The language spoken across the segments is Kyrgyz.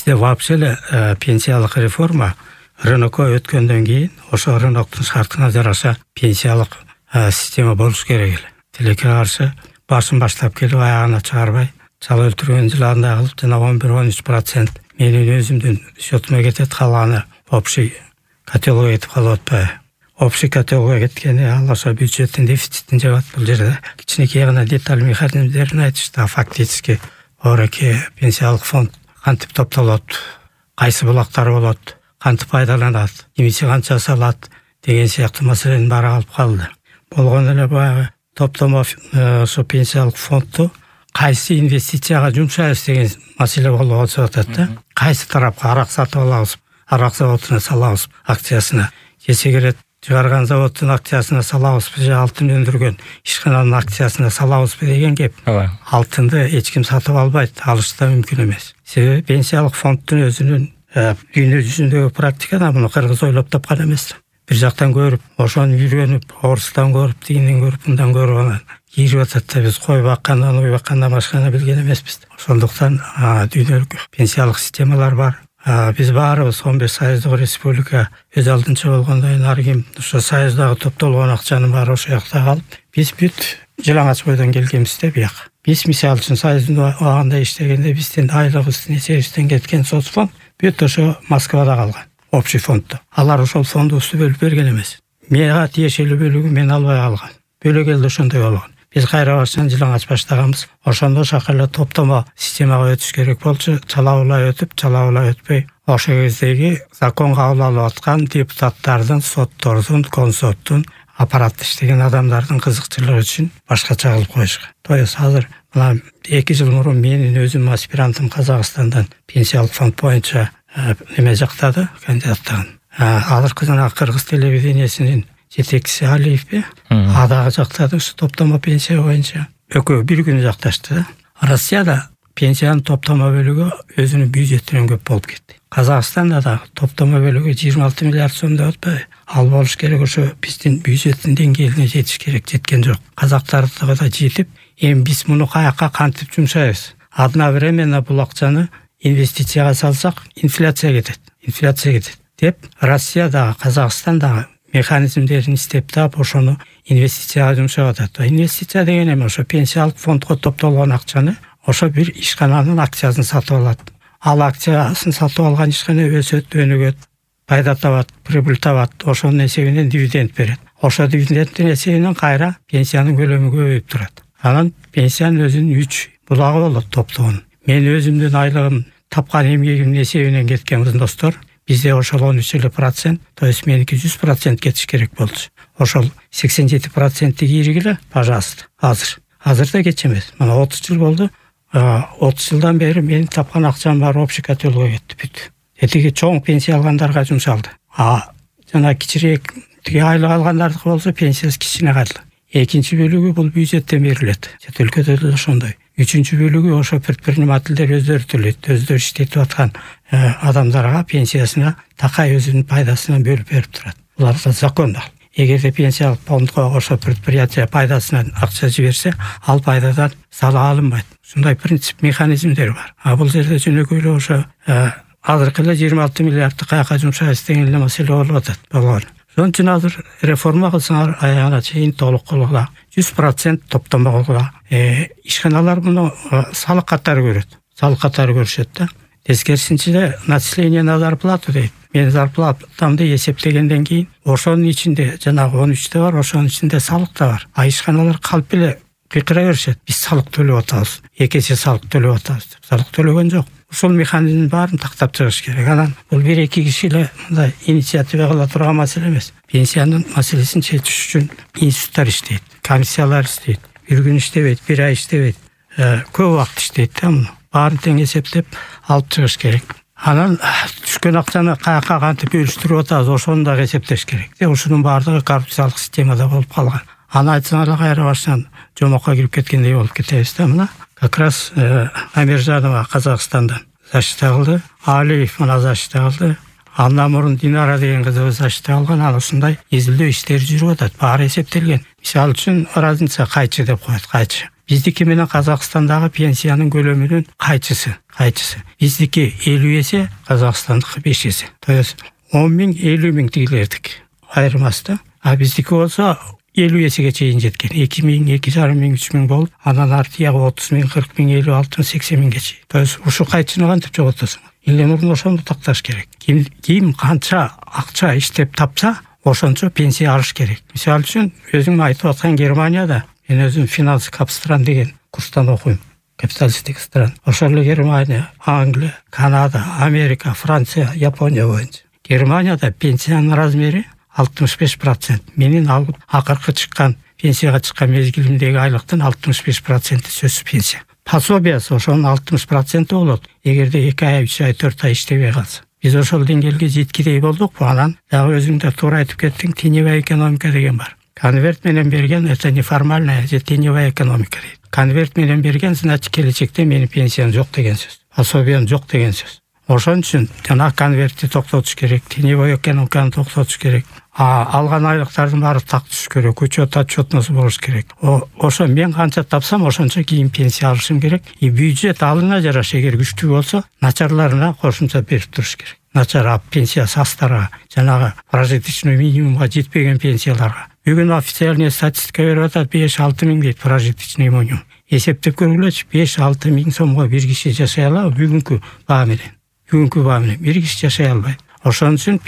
бизде вообще эле пенсиялык реформа рынокко өткөндөн кийин ошо рыноктун шартына жараша пенсиялык система болуш керек эле. Тилекке каршы башын баштап келип аягына чыгарбай, чала өлтүргөн жыландай кылып жана 11-13% менин өзүмдүн счетума кетет, калганы общий котелго кетип калып атпайбы? Общий котелго кеткени ал ошо бюджеттин дефицитин жабат. Бул жерде кичинекей гана деталь механизмдерин айтышты. Фактически оореки пенсиялык фонд кантип топтолот, кайсы булактар болот, кантип пайдаланат, эмиси канча салат деген сыяктуу маселенин баары калып калды. Болгон эле баягы топтомо ошо пенсиялык фондду кайсы инвестицияга жумшайбыз деген маселе болуп атат да. Кайсы тарапка арак сатып алабыз, арак заводуна салабыз акциясына, же сигарет чыгарган заводдун акциясына салабызбы, же алтын өндүргөн ишкананын акциясына салабызбы деген кеп. Алтынды эч ким сатып албайт, алыш да мүмкүн эмес. Себеби пенсиялык фонддун өзүнүн дүйнө жүзүндөгү практикада муну кыргыз ойлоп тапкан эмес. Бир жактан көрүп, ошону үйрөнүп, орустан көрүп, тигинден көрүп, мындан көрүп анан кийирип атат да, биз кой баккандан, уй баккандан башканы билген эмеспиз. Ошондуктан дүйнөлүк пенсиялык системалар бар. Биз баарыбыз 15 союздук республика өз алдынча болгондон ары ким ошо союздагы топтолгон акчанын баары ошол жакта калып, биз бүт жалаңач бойдон келгенбиз да бияка. Биз мисалы үчүн союздун убагында иштегенде биздин айлыгыбыздын эсебибизден кеткен соцфонд бүт ошо Москвада калган. Общий фонддо. Алар ошол фондубузду бөлүп берген эмес. Мага тиешелүү бөлүгүн мен албай калган. Бөлөгөлдө ошондой болгон. Биз кайра башынан жалаңач баштаганбыз. Ошондо шакалла топтомо системага өтүш керек болчу. Чалабылай өтүп, чалабылай өтпөй, ошо кездеги закон кабыл алып аткан депутаттардын, соттордун, консоттун, аппаратта иштеген адамдардын кызыкчылыгы үчүн башкача кылып коюшкан. То есть азыр мына 2 жыл мурун менин өзүм аспирантым Казакстандан пенсиялык фонд боюнча неме жактады, кандидаттыгын. Азыркы жана кыргыз телевидениясынын жетекчиси Алиевпи, адагы жактады ушу топтомо пенсия боюнча. Экөө бир күнү жакташты да. Россияда пенсиянын топтомо бөлүгү өзүнүн бюджетинен көп болуп кетти. Казакстанда да топтомо бөлүгү 26 миллиард сом деп атпайбы? Ал болуш керек, ошо биздин бюджеттин деңгээлине жетиш керек, жеткен жок. Казактардыгы да жетип, эми биз муну каяка кантип жумшайбыз? Одновременно бул акчаны инвестицияга салсак, инфляция кетет деп Россия дагы, Казакстан дагы механизмдерин иштеп таап ошону инвестицияга жумшап атат. Инвестиция деген эми ошо пенсиялык фондго топтолгон акчаны ошо бир ишкананын акциясын сатып алат. Ал акциясын сатып алган ишкана өсөт, өнүгөт, пайда табат, прибыль табат, ошонун эсебинен дивиденд берет. Ошо дивидендтин эсебинен кайра пенсиянын көлөмү көбөйүп турат. Анан пенсиянын өзүнүн 3 булагы болот топтогон. Мен өзүмдүн айлыгым тапкан эмгегимдин эсебинен кеткен достор, бизде ошол 13%, то есть меники 100% кетиш керек болчу. Ошол 87% кийригиле, пожалуйста. Азыр да кеч эмес. Мына 30 жыл болду. 30 жылдан бери менин тапкан акчам бар общий котелго кетти бүт. Этиги чоң пенсия алгандарга жумшалды. Жана кичирээк тиги айлык алгандардыкы болсо пенсиясы кичине калды. Экинчи бөлүгү бул бюджеттен берилет. Чет өлкөдө да ошондой. Үчүнчү бөлүгү ошо предпринимательдер өздөрү төлөйт, өздөрү иштетип аткан адамдарга пенсиясына такай өзүнүн пайдасынан бөлүп берип турат. Булар да закон. Эгерде пенсиялык фондго ошо предприятие пайдасынан акча жиберсе, ал пайдадан салык алынбайт. Ушундай принцип, механизмдер бар. Бул жерде жөнөкөйлөө ошо азыркы эле 26 миллиардты каяка жумшайбыз деген эле маселе болуп атат. Ошон үчүн азыр реформа кылсаңар аягына чейин толук кылгыла, 100% топтомо кылгыла. Ишканалар муну салык катары көрөт. Салык катары көрүшөт да. Тескерисинче начисление на зарплату дейт. Мен зарплатамды эсептегенден кийин ошонун ичинде жанагы 13 бар, ошонун ичинде салык да бар. Ишканалар калп эле кыйкыра беришет. Биз салык төлөп атабыз, эки эсе салык төлөп атабыз деп. Салык төлөгөн жок. Ошол механизмдин баарын тактап чыгыш керек. Анан бул 1-2 киши эле мындай инициатива кыла турган маселе эмес. Пенсиянын маселесин чечиш үчүн институттар иштейт, комиссиялар иштейт. Бир күн иштебейт, бир ай иштебейт. Көп убакыт иштейт да муну. Баарын тең эсептеп алып чыгыш керек. Анан түшкөн акчаны каяка кантип бөлүштүрүп атабыз, ошону да эсептеш керек. Ушунун баардыгы коррупциялык системада болуп калган. Аны айтсаңар кайра башынан жомокко кирип кеткендей болуп кетебиз да мына. Как раз Амиржанова Казакстандан защита кылды, Алиев мына защита кылды. Андан мурун Динара деген кызы защита алган. Ал ушундай изилдөө иштери жүрүп атат. Баары эсептелген. Мисалы үчүн разница кайчы деп коет, кайчы. Биздики менен Казакстандагы пенсиянын көлөмүнүн кайчысы. Биздики 50 эсе, Казакстандыкы 5 эсе. То есть 10 миң, 50 миң тигилердик айырмасы да. А биздики болсо 50 эсеге чейин жеткен. 2 миң, 2,5 миң, 3 миң болуп, андан артыягы 30 миң, 40 миң, 50, 60, 80 миңге чейин. То есть ушу кайчыны кантип жоготосуң? Эле мурун ошону такташ керек. Ким канча акча иштеп тапса, ошончо пенсия алыш керек. Мисалы үчүн, өзүң айтып аткан Германияда, мен өзүм финанс капстран деген курстан окуйм. Капиталисттик стран. Ошол эле Германия, Англия, Канада, Америка, Франция, Япония боюнча. Германияда пенсиянын размери 65%. Менин акыркы чыккан пенсияга чыккан мезгилимдеги айлыктын 65% сөзсүз пенсия. Пособиясы ошонун 60% болот, эгерде 2 ай, 3 ай, 4 ай иштебей калса. Биз ошол деңгээлге жеткидей болдукпу? Анан дагы өзүң да туура айтып кеттиң, теневая экономика деген бар. Конверт менен берген, это неформальная же теневая экономика дейт. Конверт менен берген, значит, келечекте менин пенсиям жок деген сөз. Пособиям жок деген сөз. Ошон үчүн жана конвертти токтотуш керек, теневой экономиканы токтотуш керек. Алган айлыктардын баары так түшүш керек, учет отчетносы болуш керек. Ошо мен канча тапсам, ошончо кийин пенсия алышым керек. И бюджет алына жараша эгер күчтүү болсо, начарларына кошумча берип туруш керек. Начар пенсия састарга, жанагы прожиточный минимумга жетпеген пенсияларга. Бүгүн официальный статистика берип атат, 5-6 миң дейт прожиточный минимум. Эсептеп көргүлөчү, 5-6 миң сомго бир киши жашай алабы бүгүнкү баа менен? Бүгүнкү баа менен бир киши жашай албайт. Ошон үчүн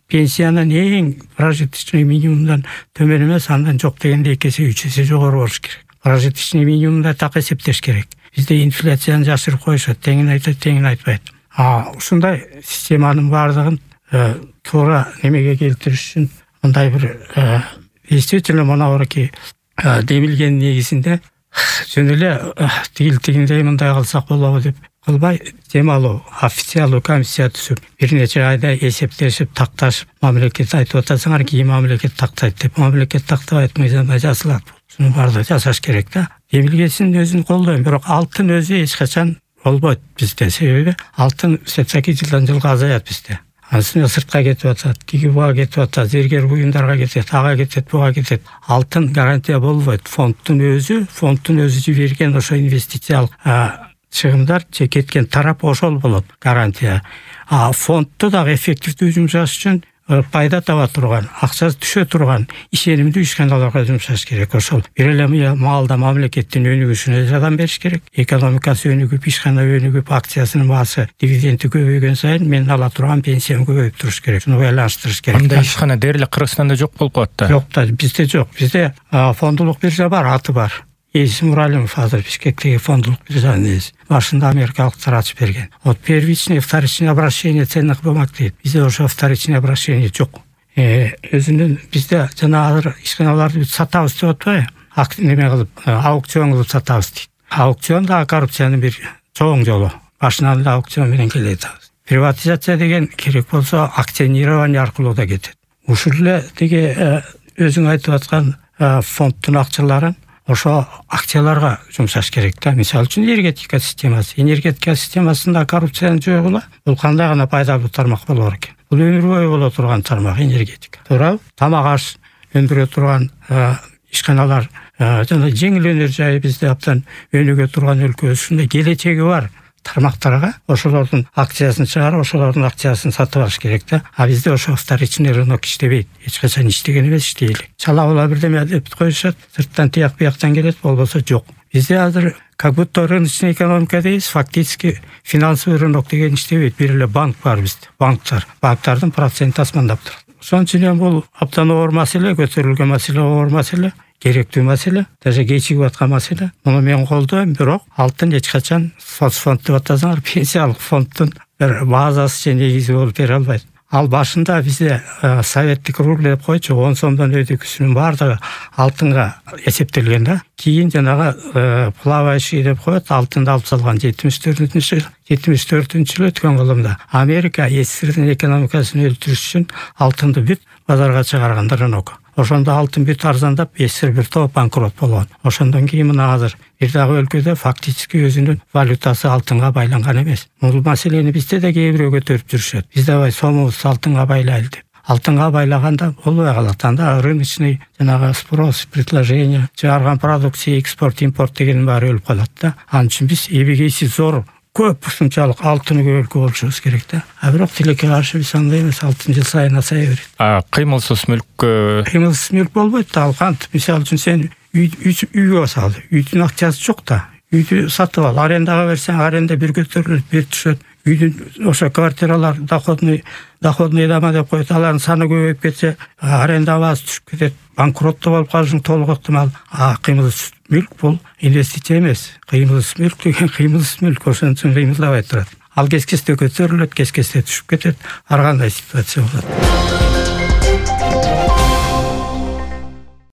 пенсиянын эң прожиточный минимумдан төмөн эмес, андан жок дегенде 2 эсе 3 эсе жогору болуш керек. Прожиточный минимумда так эсептеш керек. Бизде инфляцияны жашырып коюшат, теңин айтат, теңин айтпайт. Ушундай системанын баардыгын туура немеге келтириш үчүн мындай бир действительно монабырки демилген негизинде жөн эле тигиндей мындай кылсак болобу деп кылбай, дем алуу, официалдуу комиссия түзүп, бир нече айда эсептешип, такташып, мамлекет айтып атасыңар, кийин мамлекет тактайт деп, мамлекет тактабайт, мыйзамда жазылат. Шунун баардыгы жасаш керек да. Демилгесин өзүн колдойм, бирок алтын өзү эч качан болбойт бизде. Себеби алтын сетсаки жылдан жылга азаят бизде. Анысына сыртка кетип атат, тиги буга кетип атат, зергер буюмдарга кетет, ага кетет, буга кетет. Алтын гарантия болбойт. Фонддун өзү жиберген ошо инвестициялык чыгымдар же кеткен тарап ошол болот гарантия. Фондду дагы эффективдүү жумшаш үчүн пайда таба турган, акчасы түшө турган ишенимдүү ишканаларга жумшаш керек. Ошол бир эле маалда мамлекеттин өнүгүшүнө жардам бериш керек. Экономикасы өнүгүп, ишкана өнүгүп, акциясынын баасы, дивиденди көбөйгөн сайын мен ала турган пенсиям көбөйүп туруш керек. Шуну байланыштырыш керек. Андай ишкана дээрлик Кыргызстанда жок болуп калат да. Жок да, бизде жок. Бизде фондулук биржа бар, аты бар. Эйсим Муралимов азыр Бишкектеги фондулук биржанын ээси. Башында америкалыктар ачып берген. Вот первичное, вторичное обращение ценных бумаг дейт. Бизде ошо вторичное обращение жок. Өзүнүн бизде жана азыр ишканаларды сатабыз деп атпайбы? Неме кылып, аукцион кылып сатабыз дейт. Аукцион да коррупциянын бир чоң жолу. Башынан эле аукцион менен келет. Приватизация деген керек болсо акционирование аркылуу да кетет. Ушул эле тиги өзүң айтып аткан фонддун акчаларын ошо акцияларга жумшаш керек да. Мисалы үчүн энергетика системасында коррупцияны жойгула, бул кандай гана пайдалуу тармак болор экен. Бул өмүр бою боло турган тармак энергетика. Туурабы? Тамак аш өндүрө турган ишканалар, жана жеңил өнөр жайы бизде абдан өнүгө турган өлкө, ушундай келечеги бар тармактарга ошолордун акциясын чыгарып, ошолордун акциясын сатып алыш керек да. А бизде ошо вторичный рынок иштебейт. Эч качан иштеген эмес, иштей элек. Чала бирдеме деп коюшат, сырттан тияк бияктан келет, болбосо жок. Бизде азыр как будто рыночный экономика дейбиз, фактически финансовый рынок деген иштебейт. Бир эле банк бар бизде. Банктардын проценти асмандап турат. Ошон үчүн бул абдан оор маселе, көтөрүлгөн маселе, оор маселе. Керектүү маселе, даже кечигип аткан маселе. Муну мен колдойм, бирок алтын эч качан соцфонд деп атасаңар, пенсиялык фонддун бир базасы же негизи болуп бере албайт. Ал башында бизде советтик рубль деп койчу, 10 сомдон өтүкүсүнүн баардыгы алтынга эсептелген да. Кийин жанагы плавающий деп коет, алтынды алып салган 74-жылы өткөн кылымда Америка СССРдин экономикасын өлтүрүш үчүн алтынды бүт базарга чыгарган рынок. Ошондо алтын бүт арзандап, СССР бир топ банкрот болгон. Ошондон кийин мына азыр бир дагы өлкөдө фактически өзүнүн валютасы алтынга байланган эмес. Бул маселени бизде да кээ бирөө көтөрүп жүрүшөт. Биз дабай сомубуз алтынга байлайлы деп. алтынга байлаганда болбой калат. Анда рыночный жанагы спрос, предложение, чыгарган продукция, экспорт, импорт дегенин баары өлүп калат да. Анын үчүн биз эбегейси зор көп ушунчалык алтын өлкө болушубуз керек да. Бирок тилекке каршы биз андай эмес, алтын жыл сайын азая берет. Кыймылсыз мүлккө Кыймылсыз мүлк болбойт да. Ал кантип, мисалы үчүн сен үйгө сал, үйдүн акчасы жок да. Үйдү сатып ал, арендага берсең, аренда бир көтөрүлөт, бир түшөт. Үйдүн ошо квартиралар доходный дома деп коет, алардын саны көбөйүп кетсе, аренда баасы түшүп кетет, банкроттоо болуп калышың толук ыктымал. Кыймылсыз мүлк бул инвестиция эмес. Кыймылсыз мүлк деген кыймылсыз мүлк, ошон үчүн кыймылдабай турат. Ал кез кезде көтөрүлөт, кез кезде түшүп кетет, ар кандай ситуация болот.